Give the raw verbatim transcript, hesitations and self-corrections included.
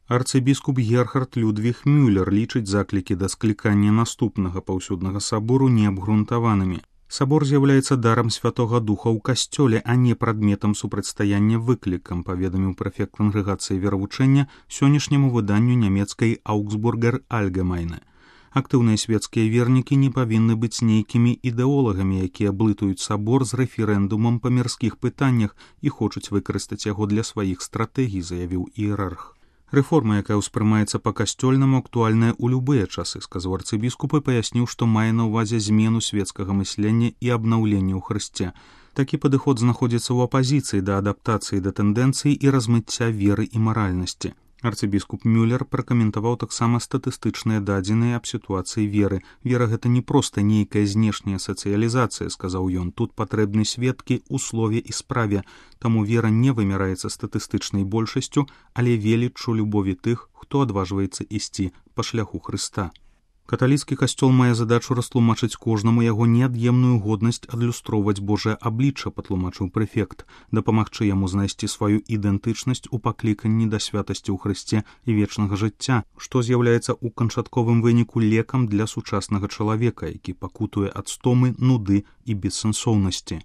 Арцыбіскуп Герхард Людвіг Мюллер лічыць заклікі да склікання наступнага паўсюднага сабору неабгрунтаванымі. Сабор з'яўляецца дарам Святога Духа ў касцёле, а не прадметам супрацьстаяння выклікам, паведаміў прэфект кангрэгацыі веравучэння сённяшняму выданню нямецкай Augsburger Allgemeine. Актыўныя свецкія вернікі не павінны быць нейкімі ідэолагамі, якія блытаюць сабор з рэферэндумам па мірскіх пытаннях і хочуць выкарыстаць яго для сваіх стратэгій, заявіў іерарх. Рэформа, якая ўспрымаецца па-касцёльнаму, актуальная ў любыя часы, сказаў арцыбіскуп і паясніў, што мае на ўвазе змену свецкага мыслення і абнаўлення ў Хрысце. Такі падыход знаходзіцца ў апазіцыі да адаптацыі да тэндэнцый і размыцця веры і маральнасці. Арцыбіскуп Мюллер пракаментаваў таксама статыстычныя дадзеныя аб сітуацыі веры. Вера гэта не проста нейкая знешняя сацыялізацыя, сказаў ён. Тут патрэбны сведкі ў слове і справе. Таму вера не вымяраецца статыстычнай большасцю, але веліччу любові тых, хто адважваецца ісці па шляху Хрыста. Каталіцкі касцёл мае задачу растлумачыць кожнаму яго неад'емную годнасць адлюстроўваць Божае аблічча, патлумачыў прэфект, дапамагчы яму знайсці сваю ідэнтычнасць у пакліканні да святасці ў Хрысце і вечнага жыцця, што з'яўляецца ў канчатковым выніку лекам для сучаснага чалавека, які пакутуе ад стомы, нуды і бессэнсоўнасці.